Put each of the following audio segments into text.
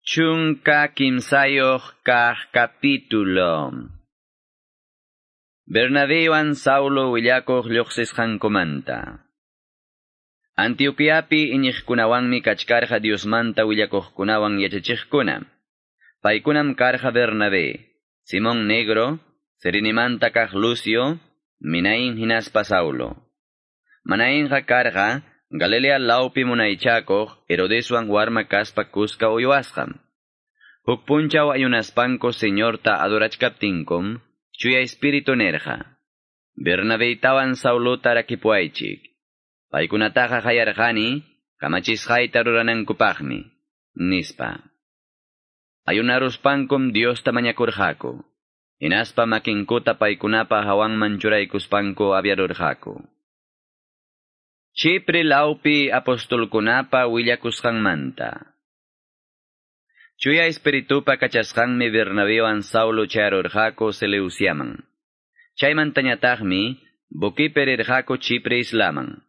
13 kaq capítulo. Bernabewan Saulo willakuq lluqsisqankumanta. Antioquiapi iñiqkunawanmi kachkarqa Diosmanta willakuqkunawan yachachiqkuna. Paykunam karqa Bernabé, Simón Negro, Serenimanta kaq Lucio, Minaín hinaspa Saulo. Manainqa karqa Galilea lawpi munaychakuq Herodeswan warma kaspa kuska uywasqam. Huk punchaw ayunaspanku Señorta adorachkaptinkum, Chuya Espíritu nerqa. Bernabeytawan Saulota rakipuaychik. Paykunataqa hayarqani, kamachisqayta ruranankupaqmi, nispa. Ayunaruspankum Diosta mañakurqaku. Hinaspa makinkuta paykunapa hawanman churaykuspanku aviarurqaku. Chipre lawpi apostolkunapa willakusqanmanta. Chuya Espiritupa kachasqanmi Bernabewan Saulo chayarurqaku Seleuciaman. Chaymantañataqmi buquipi rirqaku Chipre islaman.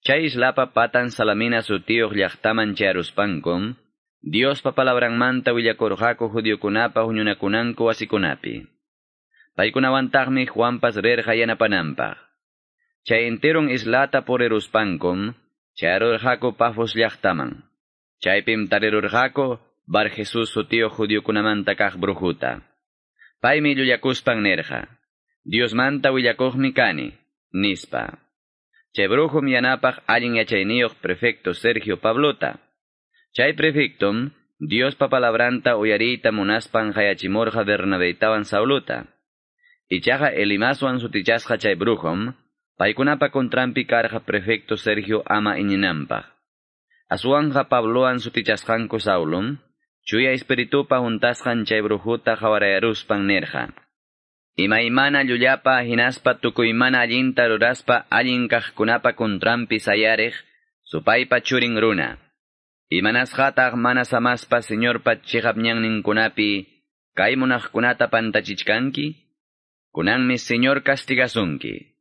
Chay islapa patan Salamina sutiyuq llaqtaman chayaruspankum, Diospa palabranmanta willakurqaku judiokunapa huñunakunanku wasikunapi. Paykunawantaqmi Juanpas rirqa yanapananpaq. Chay enteron islata puriruspankum, chayarurqaku Pafos llaqtaman. Chaypim tarirurqaku Bar Jesús sutiyuq judiokunamanta kaq brujuta. Paymi llullakuspan nirqa, Diosmanta willakuqmi kani, nispa. Chay brujum yanapaq allin yachayniyuq prefecto Sergio Pablota. Chay prefectum Diospa palabranta uyariyta munaspan hayachimurqa Bernabeytawan Sauluta. Ichaqa Elimaswan sutichasqa chay brujum, paykunapa contranpi karqa prefecto Sergio ama iñinanpaq. Aswanja Pabloan sutichasqanku Saulum, Chuya Espiritupa huntasqan chay brujuta qawarayaruspan nirqa. Imaymana llullapa hinaspa tukuymana allinta ruraspa allin kaqkunapa contranpi sayariq, supaypa churin runa. Imanasqataq mana samaspa Señorpa chiqap ñanninkunapi kay munaqkunata pantachichkanki? Kunanmi Señor castigasunki.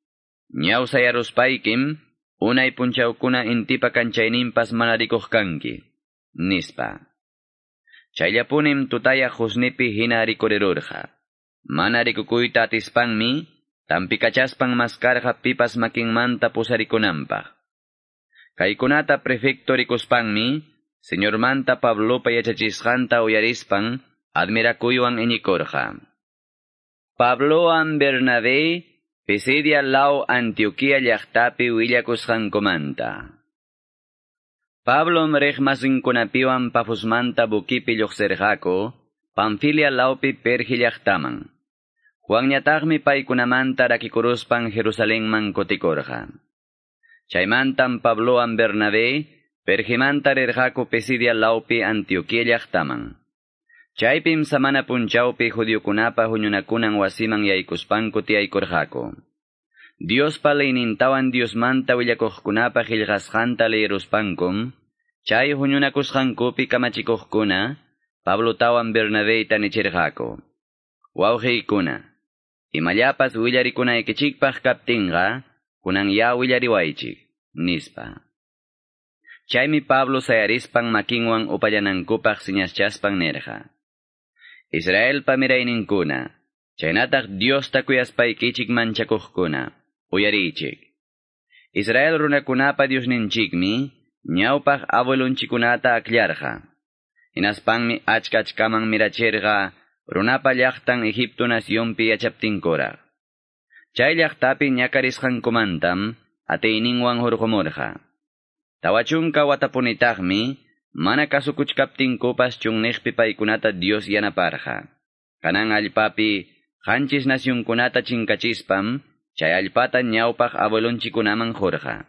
Ñawsayaruspaykim, unay punchawkuna intipa kanchayninpas mana rikuq kanki, nispa. Chayllapunim tutayaq husnipi hina rikurirurqa. Mana rikukuyta atispanmi, tampikachaspan maskarqa pipas makinmanta pusarikunanpaq. Kaykunata prefecto rikuspanmi, Señormanta Pablopa yachachisqanta uyarispan, admirakuywan iñikurqa. Pablowan Bernabé, Pisidia law Antioquia llaqtapi willakusqankumanta. Pablom riqmasinkunapiwan Pafosmanta buquipi lluqsirqaku, Panfilia lawpi Pergi llaqtaman. Juanñataqmi paykunamanta rakikuruspan Jerusalenman kutikurqa. Chaymantam Pablowan Bernabé, Pergimanta rirqaku Pisidia lawpi Antioquia llaqtaman. Chaypim samana punchawpi judiokunapa huñunakunan wasiman yaykuspanku tiyaykurqaku. Diospa leynintawan Diosmanta willakuqkunapa qillqasqanta leyiruspankum, chay huñunakusqankupi kamachikuqkuna, Pablotawan Bernabeyta nichirqaku. Wawqiykuna, imallapas willarikunaykichikpaq kaptinqa, kunan ya willariwaychik, nispa. Chaymi Pablo sayarispan makinwan upallanankupaq siñaschaspan nirqa. Israelpa mirayninkuna, chaynataq Diosta kuyaspaykichik manchakuqkuna, uyariychik. Israel runakunapa Diosninchikmi, ñawpaq abuelunchikunata akllarqa. Hinaspanmi achka achkaman mirachirqa, runapa llaqtan Egipto nacionpi yachaptinkuraq. Chay llaqtapi ñakarisqankumantam, atiyninwan hurqumurqa. 40 watapunitaqmi, mana kasukuchkaptinkupas chunniqpi paykunata Dios yanaparqa. Kanan allpapi 7 nacionkunata chinkachispam, chay allpata ñawpaq abuelonchikunaman qurqa.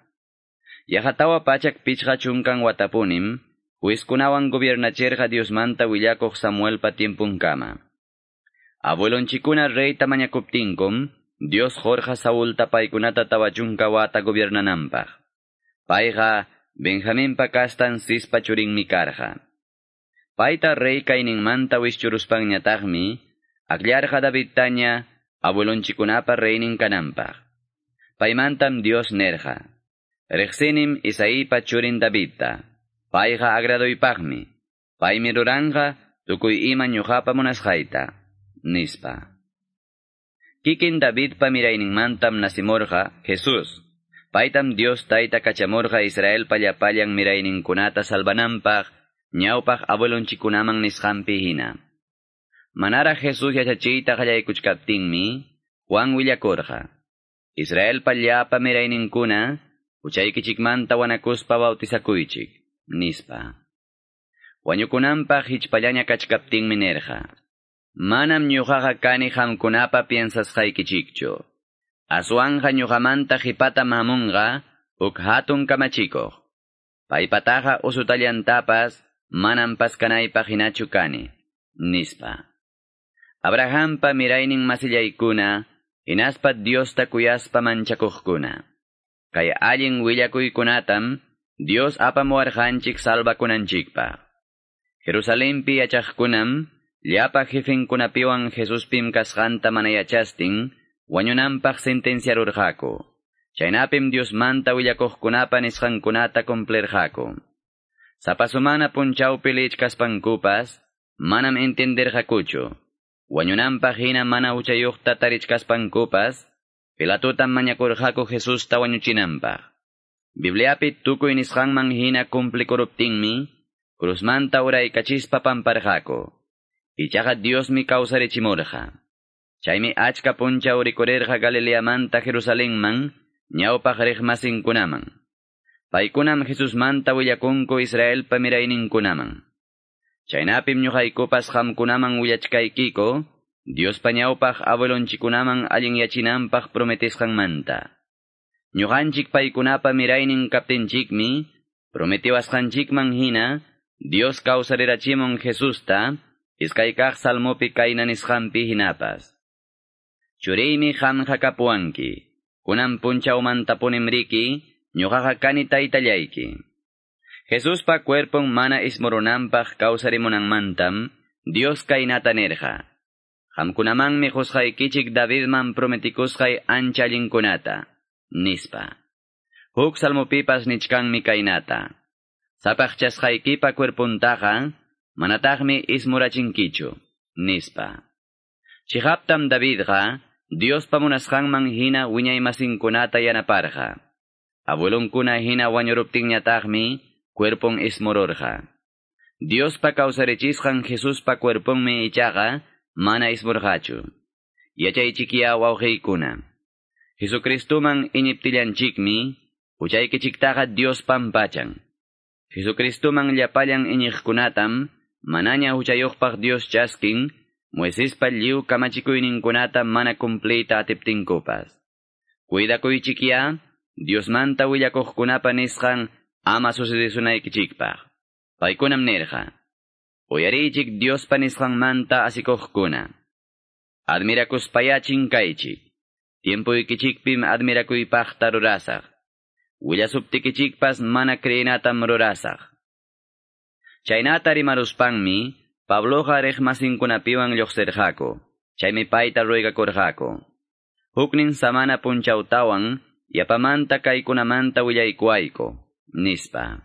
Yaqa 450 watapunim, juizkunawan gobiernachirqa Diosmanta willakuq Samuelpa tiempunkama. Abuelonchikuna reyta mañakuptinkum, Dios qurqa Saulta paykunata 40 wata gobiernananpaq. Payqa Benjaminpa kastan Cispa churinmi karqa. Payta rey kayninmanta wischuruspanñataqmi, akllarqa Davidtaña abuelonchikunapa reynin kananpaq. Paymantam Dios nerqa. Riqsinim Isaípa churin Davidta. Payqa agradoypaqmi. Paymi ruranqa tukuy ima ñuqapa munasqayta, nispa. Kikin Davidpa mirayninmantam nasimurqa Jesús. Paytam Dios tayta kachamurqa Israelpa llapallan mirayninkunata salvananpaq, ñawpaq abuelonchikunaman nisqanpi hina. Manaraq Jesús yachachiyta qallaykuchkaptinmi, Juan willakurqa. Israelpa llapa mirayninkuna, huchaykichikmanta wanakuspa bautizakuychik, nispa. Wañukunanpaq hichpallaña kachkaptinmi nirqa. Manam ñuqaqa kani qamkunapa piensasqaykichikchu. Aswanja ñuqamanta qhipatam hamunqa huk hatun kamachikuq. Paypataqa usutallantapas manam paskanaypaq hinachu kani, nispa. Abrahampa miraynin masillaykuna, hinaspa Diosta kuyaspa manchakuqkuna. Kay allin willakuykunatam Dios apamuwarqanchik salvakunanchikpaq. Jerusalempi yachaqkunam llapa jefenkunapiwan Jesuspim kasqanta mana yachastin, wañunanpaq sentenciarurqaku. Chaynapim Diosmanta willakuqkunapa nisqankunata cumplirqaku. Sapa sumana punchawpi lichkaspankupas, manam entenderqakuchu. Wañunanpaq hina mana huchayuqta tarichkaspankupas, Pilatotam mañakurqaku Jesusta wañuchinanpaq. Bibliapi tukuy nisqanman hina cumplikuruptinmi, cruzmanta uraykachispa pamparqaku. Ichaqa Diosmi kawsarichimurqa. Chaymi achka punchaw rikurirqa Galileamanta Jerusalenman, ñawpaq riqmasinkunaman. Paykunam Jesusmanta willakunku Israelpa mirayninkunaman. Chaynapim ñuqaykupas qamkunaman willachkaykiku, Diospa ñawpaq abuelonchikunaman allinyachinanpaq prometisqanmanta. Ñuqanchik paykunapa miraynin kaptinchikmi, prometiwasqanchikman hina, Dios kawsarirachimun Jesusta, iskaykaq salmopi kayna nisqanpi hinapas. Churiymi qamqa kapuwanki, kunan punchawmantapunim riki, ñuqaqa kani taytallayki. Jesuspa cuerpon mana ismurunanpaq kawsarimunanmantam, Dios kaynata nirqa. Qamkunamanmi qusqaykichik Davidman prometikusqay ancha allinkunata, nispa. Huk salmopipas nichkanmi kaynata. Sapaqchasqaykipa cuerpuntaqa, manataqmi ismurachinkichu, nispa. Chihaptam Davidqa, Diospa munasqanman hina wiñaymasinkunata yanaparqa. Abuelonkuna hina wañuruptinñataqmi, cuerpon ismururqa. Diospa kawsarichisqan Jesuspa cuerponmi ichaqa, mana ismurqachu. Yachaychikiya wawqiykuna. Jesucristuman iñiptillanchikmi, huchaykichiktaqa Dios pampachan. Jesucristuman llapallan iñiqkunatam, manaña huchayuqpaq Dios chaskin, Moisespa lliw kamachikuyninkunata mana cumpliyta atiptinkupas. Cuidakuychikiya, Diosmanta willakuqkunapa nisqan ama sucedesunaykichikpaq. Paykunam nirqa. Uyariychik Diospa nisqanmanta asikuqkuna. Admirakuspaya chinkaychik. Tiempuykichikpim admirakuypaqta rurasaq. Willasuptikichikpas mana creenatam rurasaq. Chaynata rimaruspanmi, Pabloqa riqmasinkunapiwan lluqsirqaku. Chaymi payta ruegakurqaku. Huknin samana punchawtawan, yapamanta kaykunamanta willaykuwayku, nispa.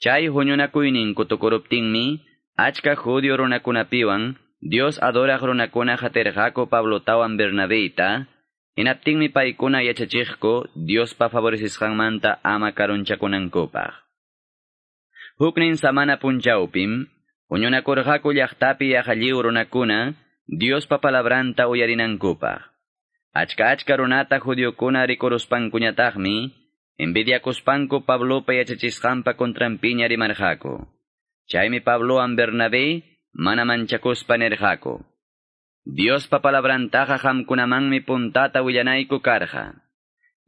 Chay huñunakuyninku tukuruptinmi, achka judío runakunapiwan, Dios adoraq runakuna hatirqaku Pablotawan Bernabeyta, hinaptinmi paykuna yachachiqku Diospa favorecisqanmanta ama karunchakunankupaq. Huknin samana punchawpim, huñunakurqaku llaqtapi yaqa lliw runakuna, Diospa palabranta uyarinankupaq. Achka achka runata judiokuna rikuruspankuñataqmi, envidiakuspanku Pablopa yachachisqanpa contranpiña rimarqaku. Chaymi Pablowan Bernabé mana manchakuspa nirqaku. Diospa palabrantaqa qamkunamanmi puntata willanayku karqa.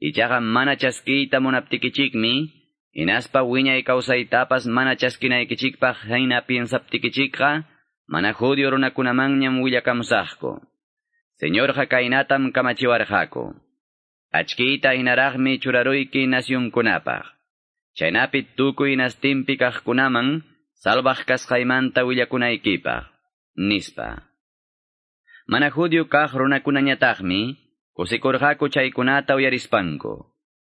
Ichaqa mana chaskiyta munaptikichikmi, hinaspa wiñay kawsaytapas mana chaskinaykichikpaq hina piensaptikichikqa, mana judío runakunamanñam willakamusaqku. Señorqa kaynatam kamachiwarqaku. Achkiyta hinaraqmi churaruyki nacionkunapaq. Chaynapi tukuy nastinpi kaqkunaman salvaq kasqaymanta willakunaykipaq, nispa. Mana judío kaq runakunañataqmi, kusikurqaku chaykunata uyarispanku.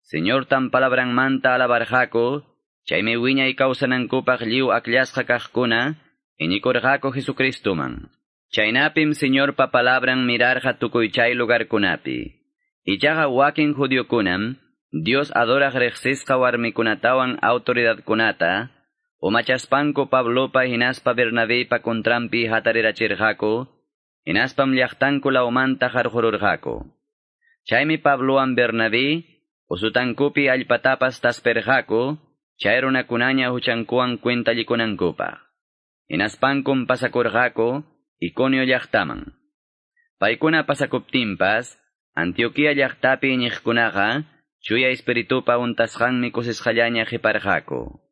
Señortam palabranmanta alabarqaku, chaymi wiñay kawsanankupaq lliw akllasqa kaqkuna, iñikurqaku Jesucristuman. Chaynapim Señorpa palabran mirarqa tukuy chay lugarkunapi. Ichaqa wakin judiokunam, Dios adoraq riqsisqa warmikunatawan autoridadkunata, umachaspanku Pablopa hinaspa Bernabépa contranpi hatarirachirqaku, hinaspam llaqtanku lawmanta qarqururqaku. Chaymi Pablowan Bernabé, usutankupi allpatapas tasperqaku, chay runakunaña huchankuwan cuentallikunankupaq. Hinaspankum pasakurqaku Iconio llaqtaman. Paykuna pasakuptinpas, Antioquia llaqtapi iñiqkunaqa, chuya espiritupa untasqanmi kusisqallaña qiparqaku.